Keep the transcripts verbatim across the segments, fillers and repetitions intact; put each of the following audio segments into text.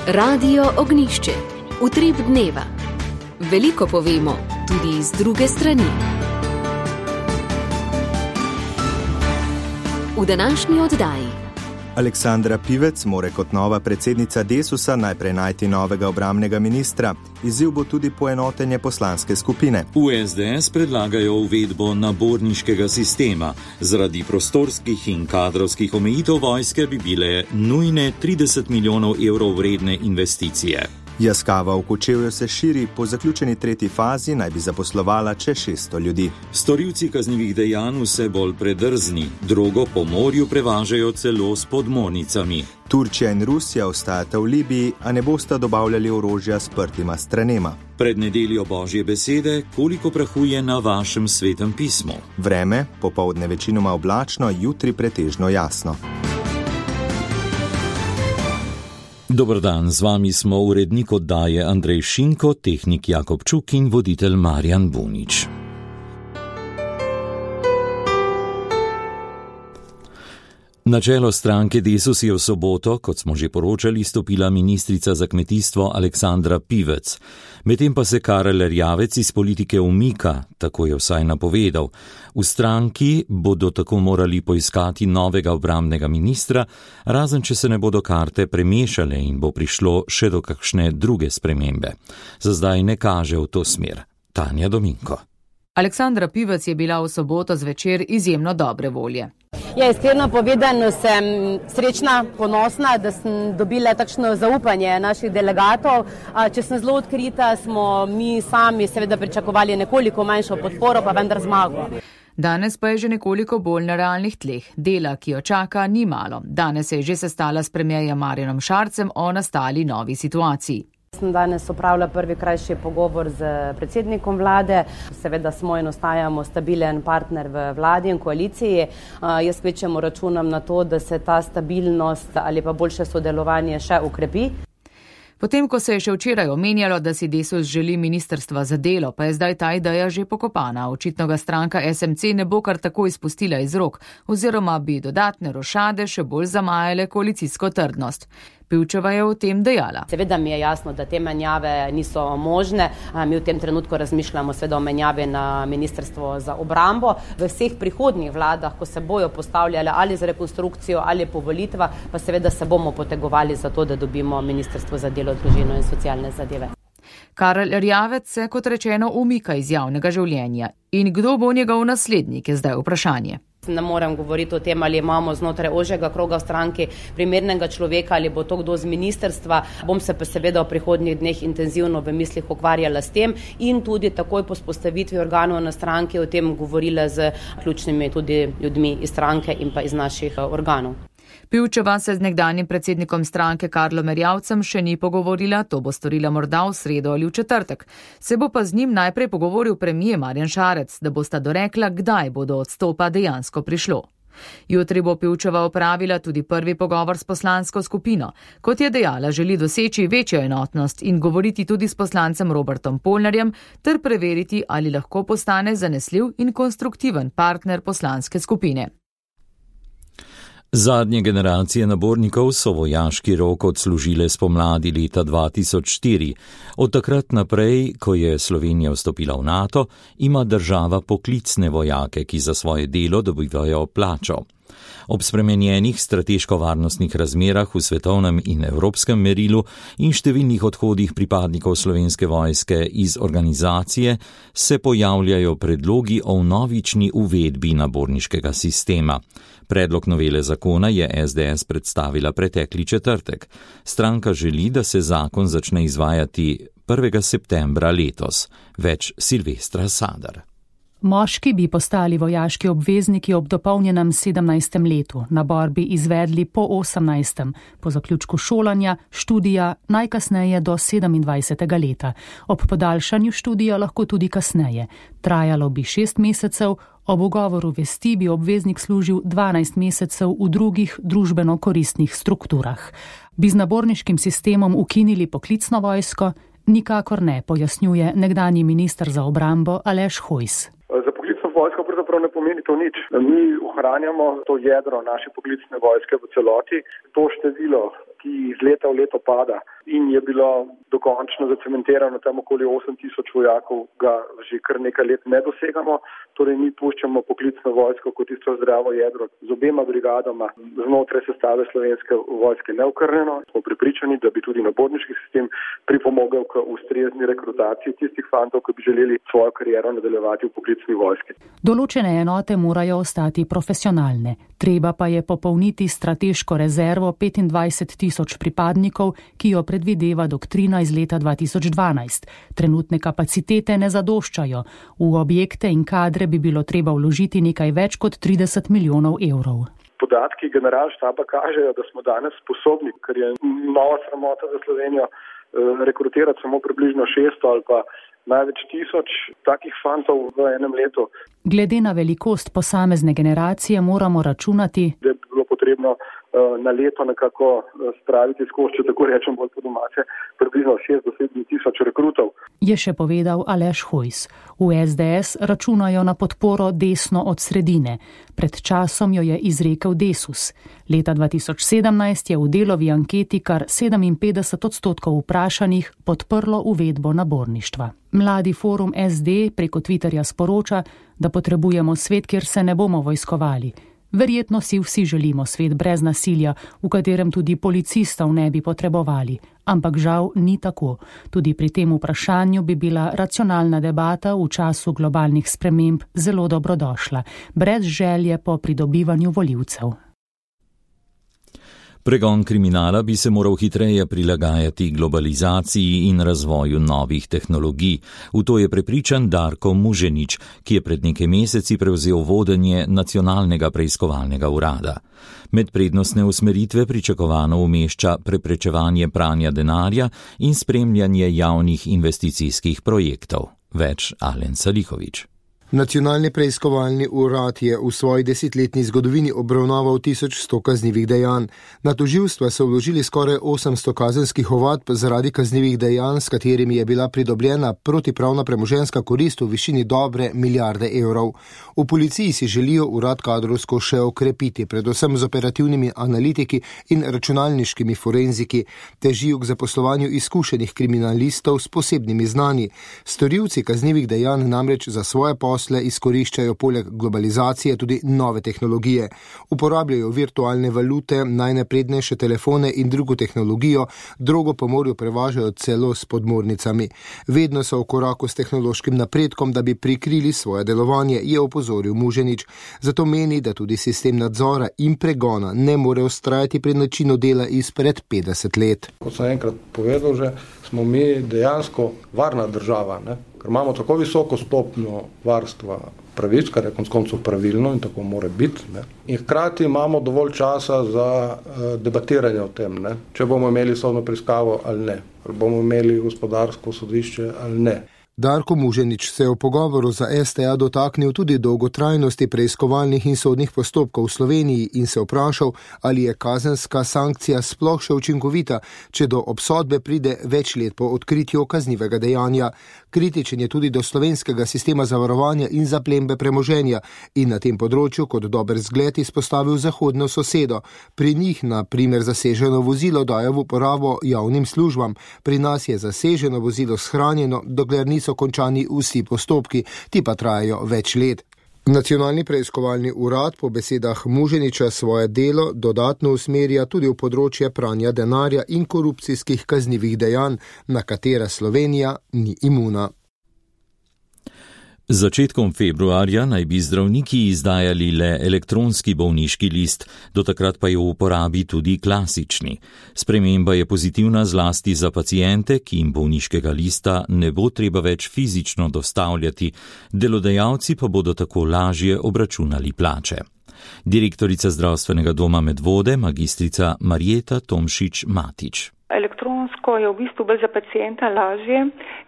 Radio Ognjišče. Utrip dneva. Veliko povemo, tudi iz druge strani. V današnji oddaji. Aleksandra Pivec more kot nova predsednica Desusa najprej najti novega obrambnega ministra. Izziv bo tudi poenotenje poslanske skupine. V es de es predlagajo uvedbo naborniškega sistema. Zaradi prostorskih in kadrovskih omejitev vojske bi bile nujne trideset milijonov evrov vredne investicije. Jaskava v Kočevju se širi, po zaključeni tretji fazi naj bi zaposlovala čez šeststo ljudi. Storilci kaznivih dejanj vse bolj predrzni, drogo po morju prevažajo celo s podmornicami. Turčija in Rusija ostajata v Libiji, a ne bosta dobavljali orožja sprtima stranema. Pred nedeljo Božje besede, koliko prahu je na vašem svetem pismu? Vreme, popoldne večinoma oblačno, jutri pretežno jasno. Dober dan, z vami smo urednik oddaje Andrej Šinko, tehnik Jakob Čuk in voditelj Marjan Bunič. Na čelo stranke Desus je v soboto, kot smo že poročali, stopila ministrica za kmetijstvo Aleksandra Pivec. Medtem pa se Karel Erjavec iz politike umika, tako je vsaj napovedal. V stranki bodo tako morali poiskati novega obrambnega ministra, razen če se ne bodo karte premešale in bo prišlo še do kakšne druge spremembe. Za zdaj ne kaže v to smer. Tanja Dominko. Aleksandra Pivec je bila v soboto zvečer izjemno dobre volje. Ja, iskreno povedano sem srečna, ponosna, da sem dobila takšno zaupanje naših delegatov. Če sem zelo odkrita, smo mi sami seveda pričakovali nekoliko manjšo podporo, pa vendar zmago. Danes pa je že nekoliko bolj na realnih tleh. Dela, ki jo čaka, ni malo. Danes se je že sestala s premierjem Marjanom Šarcem o nastali novi situaciji. Sem danes opravila prvi krajši pogovor z predsednikom vlade. Seveda smo in ostajamo stabilen partner v vladi in koaliciji. Jaz kvečjemu računam na to, da se ta stabilnost ali pa boljše sodelovanje še ukrepi. Potem, ko se je še včeraj omenjalo, da si Desus želi ministrstva za delo, pa je zdaj ta ideja že pokopana. Očitno ga stranka es em ce ne bo kar tako izpustila iz rok, oziroma bi dodatne rošade še bolj zamajale koalicijsko trdnost. Pivčeva je o tem dejala. Seveda mi je jasno, da te menjave niso možne. Mi v tem trenutku razmišljamo seveda o menjavi na ministrstvo za obrambo. V vseh prihodnjih vladah, ko se bojo postavljale ali z rekonstrukcijo ali po volitvah, pa seveda se bomo potegovali za to, da dobimo ministrstvo za delo, družino in socialne zadeve. Karel Erjavec se, kot rečeno, umika iz javnega življenja. In kdo bo njegov naslednik, je zdaj vprašanje. Ne morem govoriti o tem, ali imamo znotraj ožjega kroga v stranki primernega človeka ali bo to kdo z ministrstva. Bom se pa seveda v prihodnjih dneh intenzivno v mislih ukvarjala s tem in tudi takoj po vzpostavitvi organov na stranki o tem govorila z ključnimi tudi ljudmi iz stranke in pa iz naših organov. Pivčeva se z nekdanjim predsednikom stranke Karlom Erjavcem še ni pogovorila, to bo storila morda v sredo ali v četrtek. Se bo pa z njim najprej pogovoril premier Marjan Šarec, da bosta dorekla, kdaj bo do odstopa dejansko prišlo. Jutri bo Pivčeva opravila tudi prvi pogovor s poslansko skupino. Kot je dejala, želi doseči večjo enotnost in govoriti tudi s poslancem Robertom Polnarjem ter preveriti, ali lahko postane zanesljiv in konstruktiven partner poslanske skupine. Zadnje generacije nabornikov so vojaški rok odslužile spomladi leta dva tisoč štiri. Od takrat naprej, ko je Slovenija vstopila v NATO, ima država poklicne vojake, ki za svoje delo dobivajo plačo. Ob spremenjenih strateško-varnostnih razmerah v svetovnem in evropskem merilu in številnih odhodih pripadnikov Slovenske vojske iz organizacije se pojavljajo predlogi o vnovični uvedbi naborniškega sistema. Predlog novele zakona je es de es predstavila pretekli četrtek. Stranka želi, da se zakon začne izvajati prvega septembra letos. Več Silvestra Sadar. Moški bi postali vojaški obvezniki ob dopolnjenem sedemnajstem letu, nabor bi izvedli po osemnajstem, po zaključku šolanja, študija, najkasneje do sedemindvajsetega leta. Ob podaljšanju študija lahko tudi kasneje. Trajalo bi šest mesecev, ob ugovoru vesti bi obveznik služil dvanajst mesecev v drugih družbeno koristnih strukturah. Bi z naborniškim sistemom ukinili poklicno vojsko? Nikakor ne, pojasnjuje nekdanji minister za obrambo Aleš Hojs. Za poklicno vojsko pravzaprav ne pomeni to nič. Mi ohranjamo to jedro naše poklicne vojske v celoti. To število, ki iz leta v leto pada in je bilo dokončno zacementirano tam okoli osem tisoč vojakov, ga že kar nekaj let ne dosegamo. Torej mi puščamo poklicno vojsko kot tisto zdravo jedro z obema brigadama znotraj sestave Slovenske vojske neokrnjeno. Smo prepričani, da bi tudi naborniški sistem pripomogel k ustrezni rekrutaciji tistih fantov, ki bi želeli svojo kariero nadaljevati v poklicni vojski. Določene enote morajo ostati profesionalne. Treba pa je popolniti strateško rezervo petindvajset tisoč pripadnikov, ki jo predvideva doktrina iz leta dva tisoč dvanajst. Trenutne kapacitete ne zadoščajo. V objekte in kadre bi bilo treba vložiti nekaj več kot trideset milijonov evrov. Podatki generalštaba kažejo, da smo danes sposobni, ker je nova sramota za Slovenijo, rekrutirati samo približno šeststo ali pa največ tisoč takih fantov v enem letu. Glede na velikost posamezne generacije moramo računati, da bi bilo potrebno na leto nekako spraviti skozi, če tako rečem bolj po domače, približno šest do sedem tisoč rekrutov. Je še povedal Aleš Hojs. V es de es računajo na podporo desno od sredine. Pred časom jo je izrekel Desus. Leta dva tisoč sedemnajst je v Delovi anketi kar sedeminpetdeset odstotkov vprašanih podprlo uvedbo naborništva. Mladi forum es de preko Twitterja sporoča, da potrebujemo svet, kjer se ne bomo vojskovali. Verjetno si vsi želimo svet brez nasilja, v katerem tudi policistov ne bi potrebovali. Ampak žal ni tako. Tudi pri tem vprašanju bi bila racionalna debata v času globalnih sprememb zelo dobrodošla, brez želje po pridobivanju volivcev. Pregon kriminala bi se moral hitreje prilagajati globalizaciji in razvoju novih tehnologij. V to je prepričan Darko Muženič, ki je pred nekaj meseci prevzel vodenje Nacionalnega preiskovalnega urada. Med prednostne usmeritve pričakovano umešča preprečevanje pranja denarja in spremljanje javnih investicijskih projektov. Več Alen Salihović. Nacionalni preiskovalni urad je v svoji desetletni zgodovini obravnaval tisoč sto kaznivih dejanj. Na tožilstva so vložili skoraj osemsto kazenskih ovadb zaradi kaznivih dejanj, s katerimi je bila pridobljena protipravna premoženjska korist v višini dobre milijarde evrov. V policiji si želijo urad kadrovsko še okrepiti, predvsem z operativnimi analitiki in računalniškimi forenziki. Težijo k zaposlovanju izkušenih kriminalistov s posebnimi znanji. Storilci kaznivih dejanj namreč za svoje posle izkoriščajo poleg globalizacije tudi nove tehnologije. Uporabljajo virtualne valute, najnaprednejše telefone in drugo tehnologijo, drogo pa morju prevažajo celo s podmornicami. Vedno so v koraku s tehnološkim napredkom, da bi prikrili svoje delovanje, je opozoril Muženič. Zato meni, da tudi sistem nadzora in pregona ne more ustrajati pri načinu dela izpred petdeset let. Kot sem enkrat povedal že, smo mi dejansko varna država, ne? Ker imamo tako visoko stopnjo varstva pravic, kar je konec koncev pravilno in tako mora biti. Ne? In hkrati imamo dovolj časa za uh, debatiranje o tem, ne? Če bomo imeli sodno preiskavo ali ne, ali bomo imeli gospodarsko sodišče ali ne. Darko Muženič se je v pogovoru za es te a dotaknil tudi dolgotrajnosti preiskovalnih in sodnih postopkov v Sloveniji in se vprašal, ali je kazenska sankcija sploh še učinkovita, če do obsodbe pride več let po odkritju kaznivega dejanja. Kritičen je tudi do slovenskega sistema zavarovanja in zaplembe premoženja in na tem področju kot dober zgled izpostavil zahodno sosedo. Pri njih na primer zaseženo vozilo dajo v uporabo javnim službam. Pri nas je zaseženo vozilo shranjeno, dokler niso končani vsi postopki, ti pa trajajo več let. Nacionalni preiskovalni urad po besedah Muženiča svoje delo dodatno usmerja tudi v področje pranja denarja in korupcijskih kaznivih dejanj, na katera Slovenija ni imuna. Z začetkom februarja naj bi zdravniki izdajali le elektronski bolniški list, do takrat pa je v uporabi tudi klasični. Sprememba je pozitivna zlasti za pacijente, ki jim bolniškega lista ne bo treba več fizično dostavljati, delodajalci pa bodo tako lažje obračunali plače. Direktorica zdravstvenega doma Medvode, magistrica Marjeta Tomšič-Matič. Elektronsko je v bistvu bolj za pacienta lažje,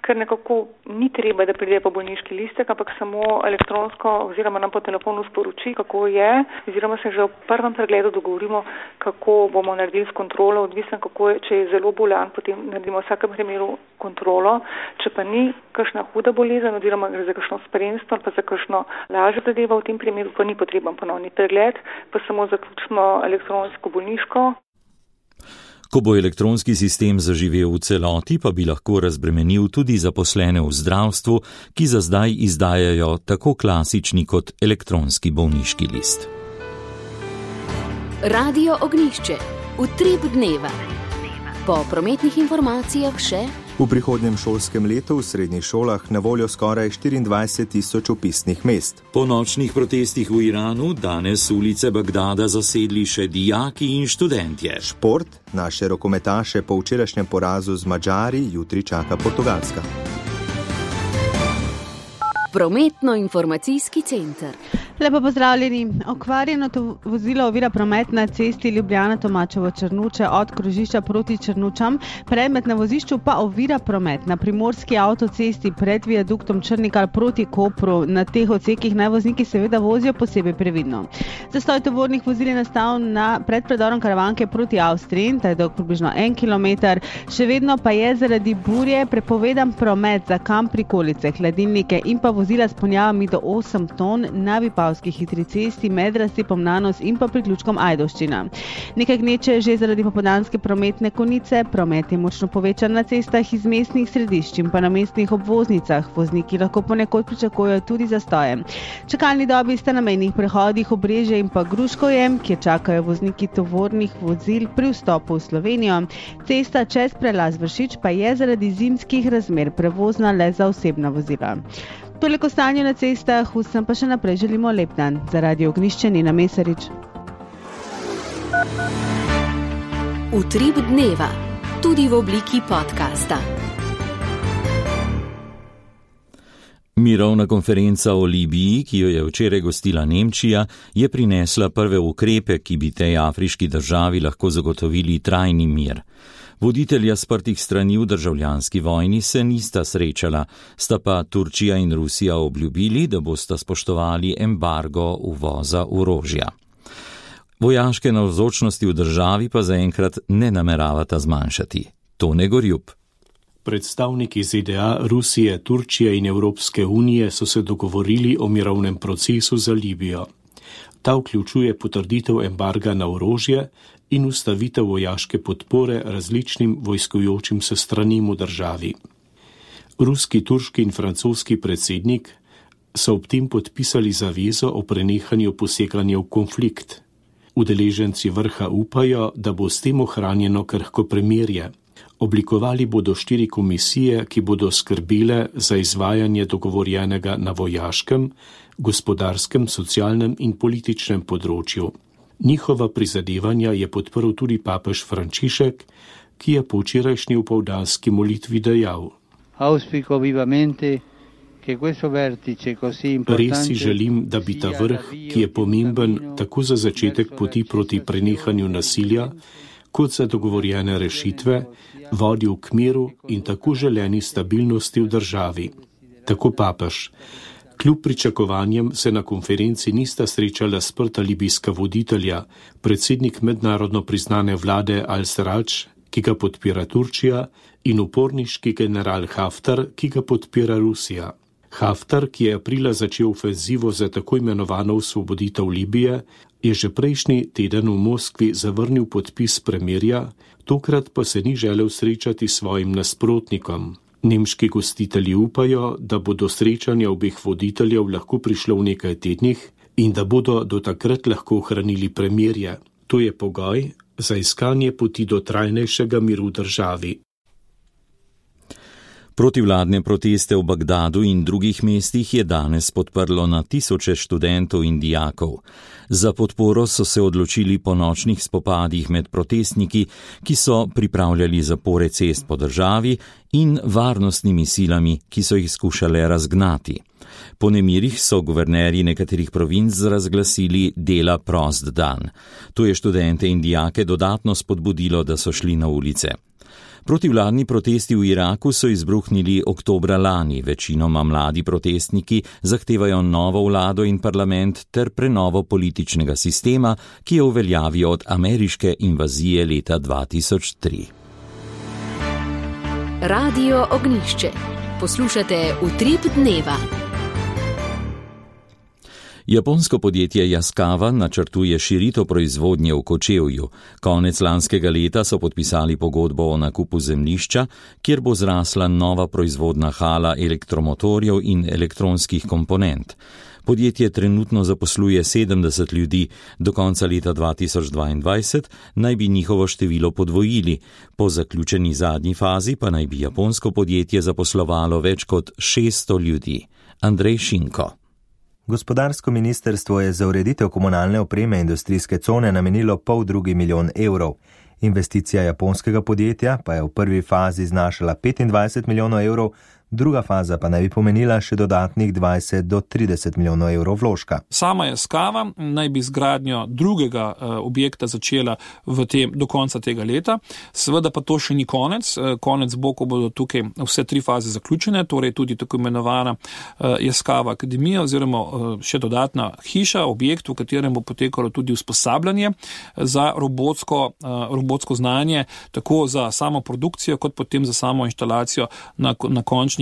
ker nekako ni treba, da pride po bolniški listek, ampak samo elektronsko oziroma nam po telefonu sporoči, kako je, oziroma se že v prvem pregledu dogovorimo, kako bomo naredili s kontrolo, odvisno kako je, če je zelo bolan, potem naredimo v vsakem primeru kontrolo, če pa ni kakšna huda bolezen oziroma gre za kakšno spremstvo ali pa za kakšno lažjo zadevo, v tem primeru pa ni potreben ponovni pregled, pa samo zaključimo elektronsko bolniško. Ko bo elektronski sistem zaživel v celoti, pa bi lahko razbremenil tudi zaposlene v zdravstvu, ki za zdaj izdajajo tako klasični kot elektronski bolniški list. Radio Ognjišče. Utrip dneva. Po prometnih informacijah še. V prihodnjem šolskem letu v srednjih šolah na voljo skoraj štiriindvajset tisoč vpisnih mest. Po nočnih protestih v Iranu danes ulice Bagdada zasedli še dijaki in študentje. Šport, naše rokometaše po včerajšnjem porazu z Madžari jutri čaka Portugalska. Prometno-informacijski center. Lepo pozdravljeni. Okvarjeno vozilo ovira promet na cesti Ljubljana-Tomačevo-Črnuče od krožišča proti Črnučam. Predmet na vozišču pa ovira promet na primorski avtocesti pred viaduktom Črnikar proti Kopru. Na teh odsekih naj vozniki seveda vozijo posebej previdno. Zastoj tovornih vozil je nastal na pred predorom Karavanke proti Avstriji, ta je dolg približno en kilometer. Še vedno pa je zaradi burje prepovedan promet za kamp prikolice, hladilnike in pa vozila s ponjavami do osem ton na Vipavski hitri cesti med razcepom Nanos in pa priključkom Ajdovščina. Nekaj gneče že zaradi popoldanske prometne konice, promet je močno povečan na cestah iz mestnih središč in pa na mestnih obvoznicah. Vozniki lahko ponekod pričakujejo tudi zastoje. Čakalni dobi sta na mejnih prehodih Obrežje in pa Gruškovje, kjer čakajo vozniki tovornih vozil pri vstopu v Slovenijo. Cesta čez prelaz Vršič pa je zaradi zimskih razmer prevozna le za osebna vozila. Toliko stanje na cestah, vsem pa še naprej želimo lep dan. Za Radio Ognjišče Nina Mesarič. Utrip dneva, tudi v obliki podcasta. Mirovna konferenca o Libiji, ki jo je včeraj gostila Nemčija, je prinesla prve ukrepe, ki bi tej afriški državi lahko zagotovili trajni mir. Voditelja sprtih strani v državljanski vojni se nista srečala, sta pa Turčija in Rusija obljubili, da bosta spoštovali embargo uvoza orožja. Vojaške navzočnosti v državi pa zaenkrat ne nameravata zmanjšati. Tone Gorjup. Predstavniki Z D A, Rusije, Turčije in Evropske unije so se dogovorili o mirovnem procesu za Libijo. Ta vključuje potrditev embarga na orožje in ustavitev vojaške podpore različnim vojskujočim se stranim v državi. Ruski, turški in francoski predsednik so ob tem podpisali zavezo o prenehanju poseganja v konflikt. Udeleženci vrha upajo, da bo s tem ohranjeno krhko premirje. Oblikovali bodo štiri komisije, ki bodo skrbele za izvajanje dogovorjenega na vojaškem, gospodarskem, socialnem in političnem področju. Njihova prizadevanja je podprl tudi papež Frančišek, ki je po včerajšnji opoldanski molitvi dejal: Res si želim, da bi ta vrh, ki je pomemben tako za začetek poti proti prenehanju nasilja, kot za dogovorjene rešitve, vodil k miru in tako želeni stabilnosti v državi. Tako papež. Kljub pričakovanjem se na konferenci nista srečala sprta libijska voditelja, predsednik mednarodno priznane vlade Al-Sarraj, ki ga podpira Turčija, in uporniški general Haftar, ki ga podpira Rusija. Haftar, ki je aprila začel ofenzivo za tako imenovano osvoboditev Libije, je že prejšnji teden v Moskvi zavrnil podpis premirja, tokrat pa se ni želel srečati s svojim nasprotnikom. Nemški gostitelji upajo, da bo do srečanja obeh voditeljev lahko prišlo v nekaj tednih in da bodo do takrat lahko ohranili premirje. To je pogoj za iskanje poti do trajnejšega miru v državi. Protivladne proteste v Bagdadu in drugih mestih je danes podprlo na tisoče študentov in dijakov. Za podporo so se odločili po nočnih spopadih med protestniki, ki so pripravljali zapore cest po državi, in varnostnimi silami, ki so jih skušale razgnati. Po nemirih so guvernerji nekaterih provinc razglasili dela prost dan. To je študente in dijake dodatno spodbudilo, da so šli na ulice. Protivladni protesti v Iraku so izbruhnili oktobra lani. Večinoma mladi protestniki zahtevajo novo vlado in parlament ter prenovo političnega sistema, ki je v veljavi od ameriške invazije leta dva tisoč tri. Radio Ognjišče. Poslušate Utrip dneva. Japonsko podjetje Yaskawa načrtuje širitev proizvodnje v Kočevju. Konec lanskega leta so podpisali pogodbo o nakupu zemljišča, kjer bo zrasla nova proizvodna hala elektromotorjev in elektronskih komponent. Podjetje trenutno zaposluje sedemdeset ljudi, do konca leta dva tisoč dvaindvajset naj bi njihovo število podvojili, po zaključeni zadnji fazi pa naj bi japonsko podjetje zaposlovalo več kot šeststo ljudi. Andrej Šinko. Gospodarsko ministrstvo je za ureditev komunalne opreme industrijske cone namenilo pol drugi milijon evrov. Investicija japonskega podjetja pa je v prvi fazi znašala petindvajset milijonov evrov, druga faza pa naj bi pomenila še dodatnih dvajset do trideset milijonov evrov vložka. Sama Yaskawa naj bi zgradnjo drugega uh, objekta začela v tem, do konca tega leta. Seveda pa to še ni konec. Uh, konec bo, ko bodo tukaj vse tri faze zaključene, torej tudi tako imenovana uh, Yaskawa akademija oziroma uh, še dodatna hiša, objekt, v katerem bo potekalo tudi usposabljanje za robotsko, uh, robotsko znanje, tako za samo produkcijo, kot potem za samo inštalacijo na, na končni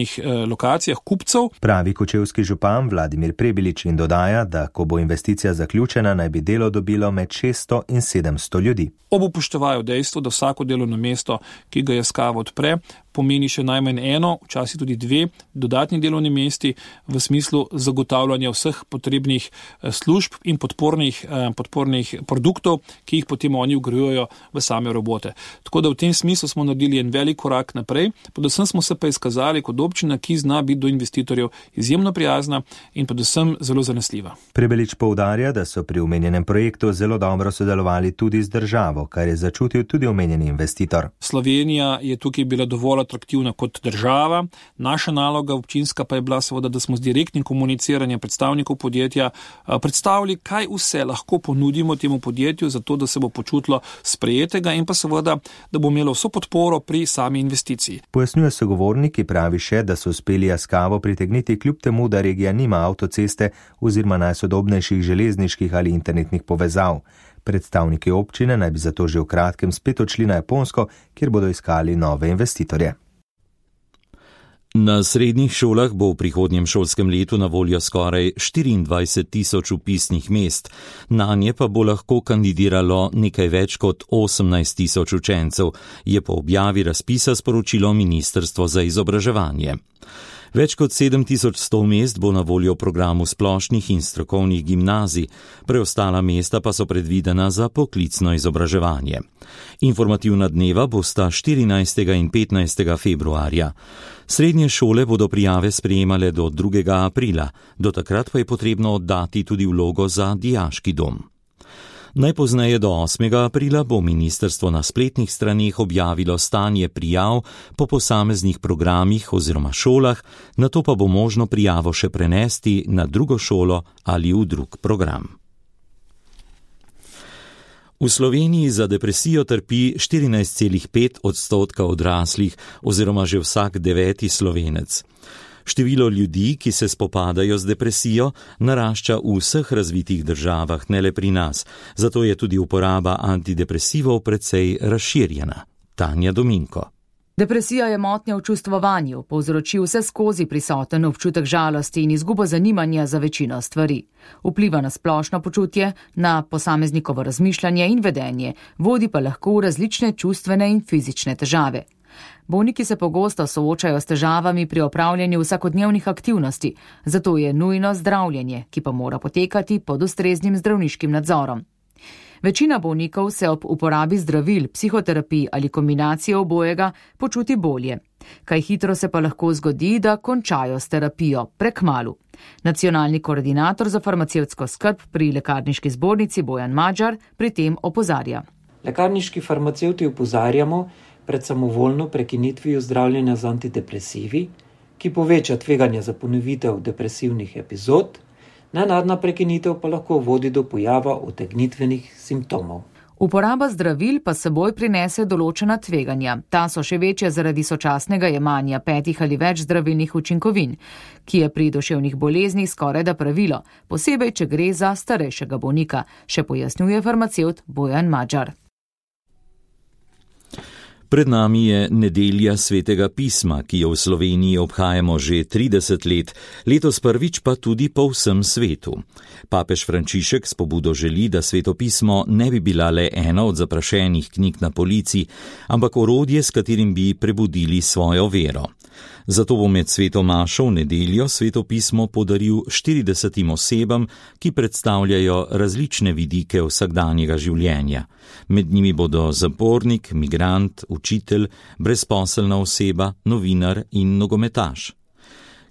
lokacijah kupcev. Pravi kočevski župan Vladimir Prebilič in dodaja, da ko bo investicija zaključena, naj bi delo dobilo med šeststo in sedemsto ljudi. Ob upoštevajo dejstvo, da vsako delovno mesto, ki ga Yaskawa odpre, pomeni še najmanj eno, včasih tudi dve dodatni delovni mesti v smislu zagotavljanja vseh potrebnih služb in podpornih, podpornih produktov, ki jih potem oni vgrajujejo v same robote. Tako da v tem smislu smo naredili en velik korak naprej, predvsem smo se pa izkazali kot občina, ki zna biti do investitorjev izjemno prijazna in predvsem zelo zanesljiva. Prebelič poudarja, da so pri omenjenem projektu zelo dobro sodelovali tudi z državo, kar je začutil tudi omenjeni investitor. Slovenija je tukaj bila dovolj atraktivna kot država. Naša naloga občinska pa je bila seveda, da smo z direktnim komuniciranjem predstavnikov podjetja predstavili, kaj vse lahko ponudimo temu podjetju, zato da se bo počutilo sprejetega in pa seveda, da bo imelo vso podporo pri sami investiciji. Pojasnjuje sogovornik, ki pravi še, da so uspeli Yaskawo pritegniti kljub temu, da regija nima avtoceste oziroma najsodobnejših železniških ali internetnih povezav. Predstavniki občine naj bi zato že v kratkem spet odšli na Japonsko, kjer bodo iskali nove investitorje. Na srednjih šolah bo v prihodnjem šolskem letu na voljo skoraj štiriindvajset tisoč vpisnih mest, nanje pa bo lahko kandidiralo nekaj več kot osemnajst tisoč učencev, je po objavi razpisa sporočilo Ministrstvo za izobraževanje. Več kot sedem tisoč sto mest bo na voljo v programu splošnih in strokovnih gimnazij, preostala mesta pa so predvidena za poklicno izobraževanje. Informativna dneva bosta štirinajstega in petnajstega februarja. Srednje šole bodo prijave sprejemale do drugega aprila, do takrat pa je potrebno oddati tudi vlogo za dijaški dom. Najpozneje do osmega aprila bo ministrstvo na spletnih straneh objavilo stanje prijav po posameznih programih oziroma šolah, nato pa bo možno prijavo še prenesti na drugo šolo ali v drug program. V Sloveniji za depresijo trpi štirinajst celih pet odstotka odraslih oziroma že vsak deveti Slovenec. Število ljudi, ki se spopadajo z depresijo, narašča v vseh razvitih državah, ne le pri nas, zato je tudi uporaba antidepresivov precej razširjena. Tanja Dominko. Depresija je motnja v čustvovanju, povzroči vse skozi prisoten občutek žalosti in izgubo zanimanja za večino stvari. Vpliva na splošno počutje, na posameznikovo razmišljanje in vedenje, vodi pa lahko v različne čustvene in fizične težave. Bolniki se pogosto soočajo s težavami pri opravljanju vsakodnevnih aktivnosti, zato je nujno zdravljenje, ki pa mora potekati pod ustreznim zdravniškim nadzorom. Večina bolnikov se ob uporabi zdravil, psihoterapij ali kombinacije obojega počuti bolje. Kaj hitro se pa lahko zgodi, da končajo s terapijo prekmalu. Nacionalni koordinator za farmacevtsko skrb pri Lekarniški zbornici Bojan Madžar pri tem opozarja. Lekarniški farmacevti opozarjamo pred samovoljno prekinitvijo zdravljenja z antidepresivi, ki poveča tveganje za ponovitev depresivnih epizod, nenadna prekinitev pa lahko vodi do pojava utegnitvenih simptomov. Uporaba zdravil pa seboj prinese določena tveganja. Ta so še večja zaradi sočasnega jemanja petih ali več zdravilnih učinkovin, ki je pri duševnih boleznih skorajda pravilo, posebej, če gre za starejšega bolnika, še pojasnjuje farmacevt Bojan Madžar. Pred nami je nedelja svetega pisma, ki jo v Sloveniji obhajamo že trideset let, letos prvič pa tudi po vsem svetu. Papež Frančišek s pobudo želi, da sveto pismo ne bi bila le ena od zaprašenih knjig na polici, ampak orodje, s katerim bi prebudili svojo vero. Zato bo med sveto mašo v nedeljo sveto pismo podaril štiridesetim osebam, ki predstavljajo različne vidike vsakdanjega življenja. Med njimi bodo zapornik, migrant, učitelj, brezposelna oseba, novinar in nogometaš.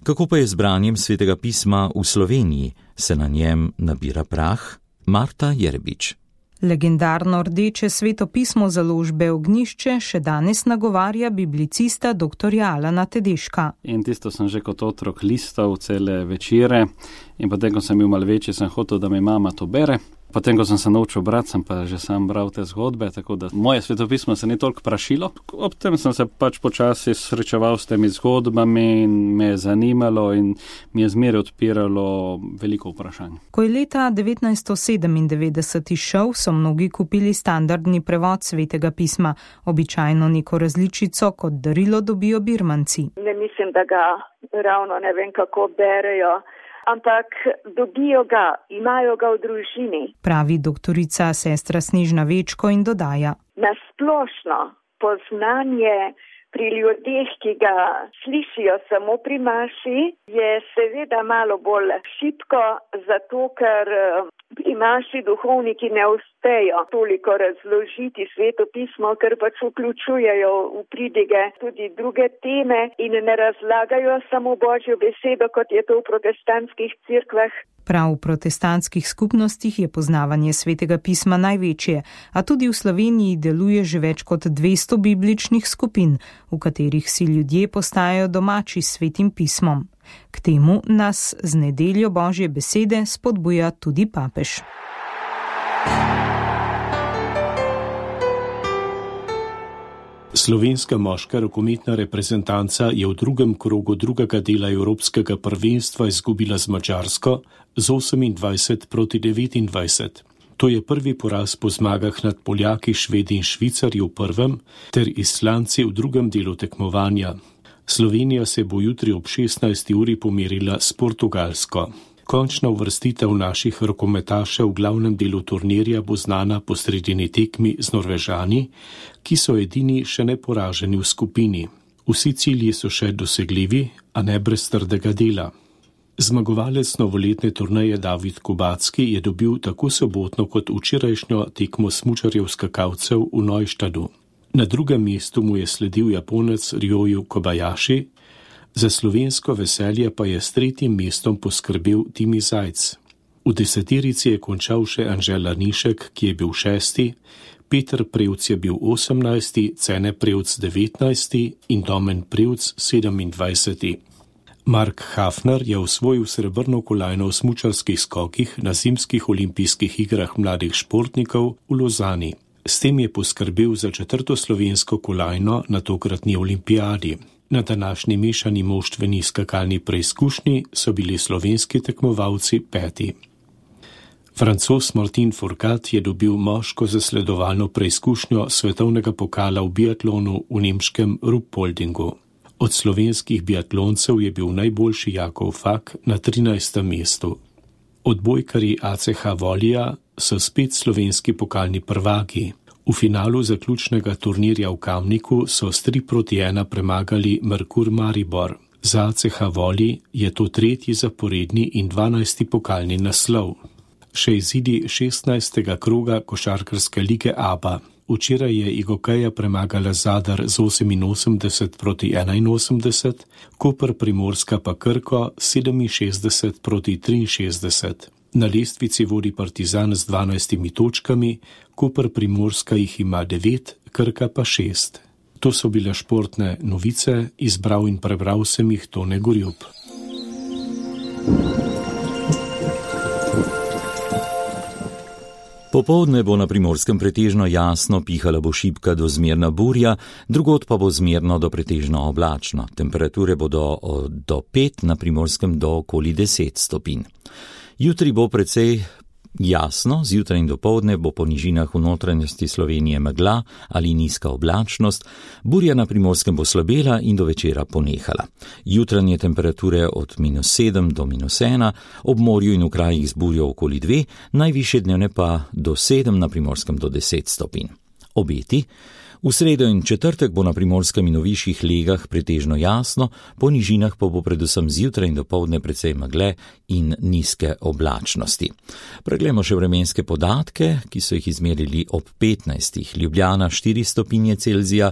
Kako pa je z branjem svetega pisma v Sloveniji? Se na njem nabira prah? Marta Jerbič. Legendarno rdeče svetopismo založbe Ognjišče še danes nagovarja biblicista doktorja Alana Tedeška. In tisto sem že kot otrok listal cele večere in potem, ko sem bil malo večji, sem hotel, da mi mama to bere. Potem, ko sem se naučil brati, sem pa že sam bral te zgodbe, tako da moje svetopismo se ni toliko prašilo. Ob tem sem se pač počasi srečeval s temi zgodbami in me je zanimalo in mi je zmeraj odpiralo veliko vprašanj. Ko je leta devetnajststo sedemindevetdeset izšel, so mnogi kupili standardni prevod svetega pisma, običajno neko različico kot darilo dobijo birmanci. Ne mislim, da ga ravno ne vem kako berejo, ampak dobijo ga, imajo ga v družini. Pravi doktorica sestra Snežna Večko in dodaja. Nasplošno poznanje pri ljudeh, ki ga slišijo samo pri maši, je seveda malo bolj šibko, zato ker pri maši duhovniki ne uspejo toliko razložiti sveto pismo, ker pač vključujejo v pridige tudi druge teme in ne razlagajo samo Božjo besedo, kot je to v protestantskih cerkvah. Prav v protestantskih skupnostih je poznavanje svetega pisma največje, a tudi v Sloveniji deluje že več kot dvesto bibličnih skupin, v katerih si ljudje postajajo domači s svetim pismom. K temu nas z nedeljo Božje besede spodbuja tudi papež. Slovenska moška rokometna reprezentanca je v drugem krogu drugega dela Evropskega prvenstva izgubila z Madžarsko z osemindvajset proti devetindvajset. To je prvi poraz po zmagah nad Poljaki, Švedi in Švicarji v prvem ter Islanci v drugem delu tekmovanja. Slovenija se bo jutri ob šestnajsti uri pomerila s Portugalsko. Končna uvrstitev naših rokometašev v glavnem delu turnirja bo znana po sredini tekmi z Norvežani, ki so edini še neporaženi v skupini. Vsi cilji so še dosegljivi, a ne brez trdega dela. Zmagovalec novoletne turneje David Kubacki je dobil tako sobotno kot včerajšnjo tekmo smučarjev skakalcev v Neuštadu. Na drugem mestu mu je sledil Japonec Ryoju Kobayashi, za slovensko veselje pa je s tretjim mestom poskrbel Timi Zajc. V deseterici je končal še Anže Lanišek, ki je bil šesti, Peter Prevc je bil osemnajsti, Cene Prevc devetnajsti in Domen Prevc sedemindvajseti. Mark Hafner je osvojil srebrno kolajno v smučarskih skokih na zimskih olimpijskih igrah mladih športnikov v Lozani. S tem je poskrbel za četrto slovensko kolajno na tokratni olimpijadi. Na današnji mešani moštveni skakalni preizkušnji so bili slovenski tekmovalci peti. Francoz Martin Fourcade je dobil moško zasledovalno preizkušnjo svetovnega pokala v biatlonu v nemškem Ruppoldingu. Od slovenskih biatloncev je bil najboljši Jakov Fak na trinajstem mestu. Odbojkarji A C H Volija so spet slovenski pokalni prvaki. V finalu zaključnega turnirja v Kamniku so s tri proti ena premagali Merkur Maribor. Za A C H Voli je to tretji zaporedni in dvanajsti pokalni naslov. Še izidi šestnajstega kroga košarkarske lige A B A. Včeraj je Igokeja premagala Zadar z oseminosemdeset proti enainosemdeset, Koper Primorska pa Krko sedeminšestdeset proti triinšestdeset. Na lestvici vodi Partizan z dvanajstimi točkami, Koper Primorska jih ima devet, Krka pa šest. To so bile športne novice, izbral in prebral sem jih Tone Gorjup. Popoldne bo na Primorskem pretežno jasno, pihala bo šibka do zmerna burja, drugod pa bo zmerno do pretežno oblačno. Temperature bodo do pet, na Primorskem do okoli deset stopinj. Jutri bo precej Jasno, zjutraj in dopoldne bo po nižinah v notranjosti Slovenije megla ali nizka oblačnost, burja na Primorskem bo slabela in do večera ponehala. Jutranje temperature od minus sedem do minus ena, ob morju in v krajih z burjo okoli dve, najvišje dnevne pa do sedem, na Primorskem do deset stopinj. Obeti. V sredo in četrtek bo na Primorskem in v višjih legah pretežno jasno, po nižinah pa bo predvsem zjutraj in dopoldne precej megle in nizke oblačnosti. Preglejmo še vremenske podatke, ki so jih izmerili ob petnajstih. Ljubljana štiri stopinje Celzija,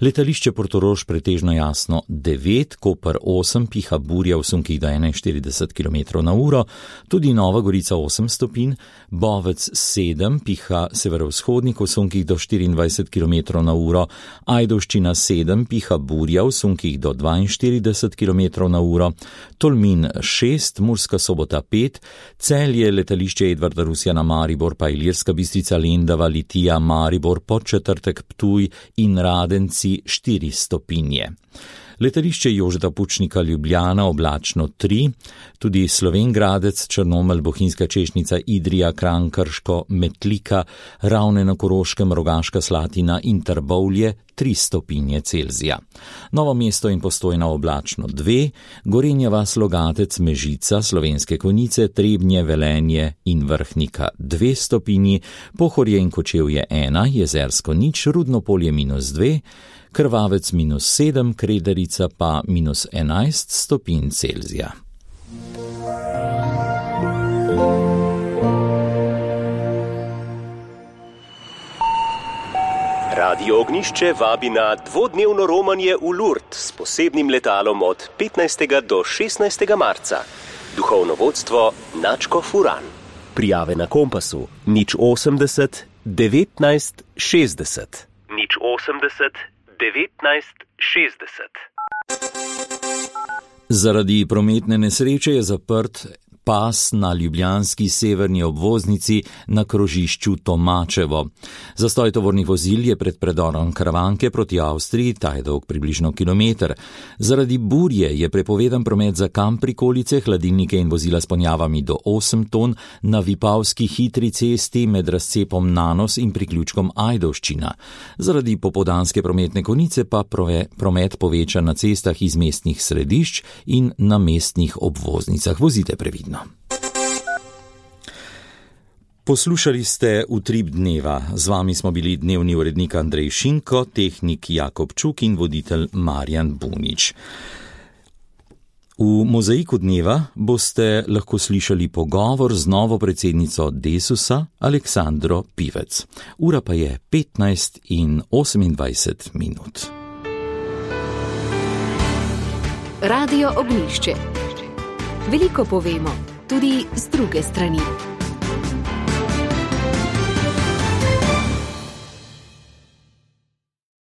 letališče Portorož pretežno jasno devet, Koper osem, piha burja v sunkih do enainštirideset kilometrov na uro, tudi Nova Gorica osem stopinj, Bovec sedem, piha severovzhodnik v sunkih do štiriindvajset kilometrov na uro, Ajdovščina sedem, piha burja v sunkih do dvainštirideset kilometrov na uro, Tolmin šest, Murska Sobota pet, Celje, letališče Edvarda Rusjana Maribor, pa Ilirska Bistrica Lendava, Litija, Maribor, Podčetrtek, Ptuj in Radenci štiri stopinje. Letališče Jožeta Pučnika Ljubljana oblačno tri, tudi Slovenj Gradec, Črnomelj, Bohinjska Češnica, Idrija, Kranj, Krško, Metlika, Ravne na Koroškem, Rogaška Slatina in Trbovlje tri stopinje Celzija. Novo mesto in Postojna oblačno dve, Gorenja vas, Logatec, Mežica, Slovenske Konjice, Trebnje, Velenje in Vrhnika dve stopinji, Pohorje in Kočevje ena, Jezersko nič, Rudno Polje minus dve, Krvavec minus sedem, Krederica pa minus enajst stopinj Celzija. Radio Ognjišče vabi na dvodnevno romanje v Lourdes s posebnim letalom od petnajstega do šestnajstega marca. Duhovno vodstvo Načko Furan. Prijave na Kompasu nič osemdeset devetnajst šestdeset. nič osemdeset devetnajst šestdeset. Zaradi prometne nesreče je zaprt pas na ljubljanski severni obvoznici na krožišču Tomačevo. Zastoj tovornih vozil je pred predorom Karavanke proti Avstriji, ta je dolg približno kilometer. Zaradi burje je prepovedan promet za kamp prikolice, hladilnike in vozila s ponjavami do osem ton na Vipavski hitri cesti med razcepom Nanos in priključkom Ajdovščina. Zaradi popoldanske prometne konice pa promet poveča na cestah iz mestnih središč in na mestnih obvoznicah. Vozite previdno. Poslušali ste Utrip dneva. Z vami smo bili dnevni urednik Andrej Šinko, tehnik Jakob Čuk in voditelj Marjan Bunič. V Mozaiku dneva boste lahko slišali pogovor z novo predsednico Desusa, Aleksandro Pivec. Ura pa je petnajst in osemindvajset minut. Radio Ognjišče. Veliko povemo, tudi z druge strani.